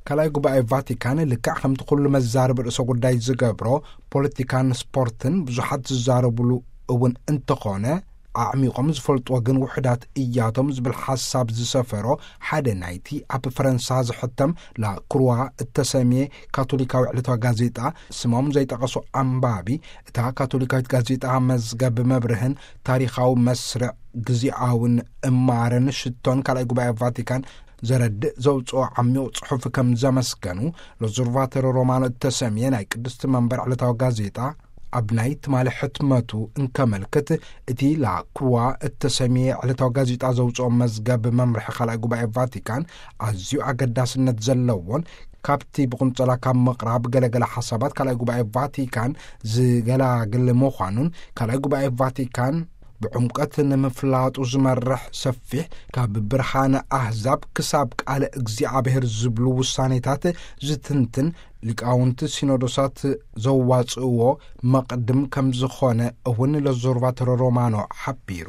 ካልኣይ ጉባኤ ቫቲካን ልክዕ ከምቲ ኩሉ መዛርብ ርእሰ ጉዳይ ዝገብሮ ፖለቲካን ስፖርትን ብዙሓት ዝዛረብሉ እውን እንተኾነ፣ ኣዕሚቖም ዝፈልጥዎ ግን ውሑዳት እያቶም ዝብል ሓሳብ ዝሰፈሮ ሓደ ናይቲ ኣብ ፈረንሳ ዝሕተም ላክሩዋ እተሰምየ ካቶሊካዊ ዕለታዊ ጋዜጣ፣ ስሞም ዘይጠቐሱ ኣንባቢ፣ እታ ካቶሊካዊት ጋዜጣ መዝገብ መብርህን ታሪኻዊ መስርዕ ግዜኣውን እማረን ሽቶን ካልኣይ ጉባኤ ቫቲካን ዘረድእ ዘውፅኦ ዓሚቕ ጽሑፍ ከም ዘመስገኑ፣ ሎዙርቫተሮ ሮማኖ እተሰምየ ናይ ቅድስቲ መንበር ዕለታዊ ጋዜጣ ኣብ ናይ ትማሊ ሕትመቱ እንከመልክት፣ እቲ ላክሩዋ እተሰምየ ዕለታዊ ጋዜጣ ዘውፅኦ መዝገብ መምርሒ ካልኣይ ጉባኤ ቫቲካን ኣዝዩ ኣገዳስነት ዘለዎን፣ ካብቲ ብቁንጸላ ካብ ምቕራብ ገለገለ ሓሳባት ካልኣይ ጉባኤ ቫቲካን ዝገላግል ምዃኑን፣ ካልኣይ ጉባኤ ቫቲካን ብዕምቀት ንምፍላጡ ዝመርሕ ሰፊሕ ካብ ብርሃነ ኣህዛብ ክሳብ ቃለ እግዚኣብሔር ዝብሉ ውሳኔታት ዝትንትን ሊቃውንቲ ሲኖዶሳት ዘዋጽእዎ መቕድም ከም ዝኾነ እውን ለዞርቫተሮ ሮማኖ ሓቢሩ።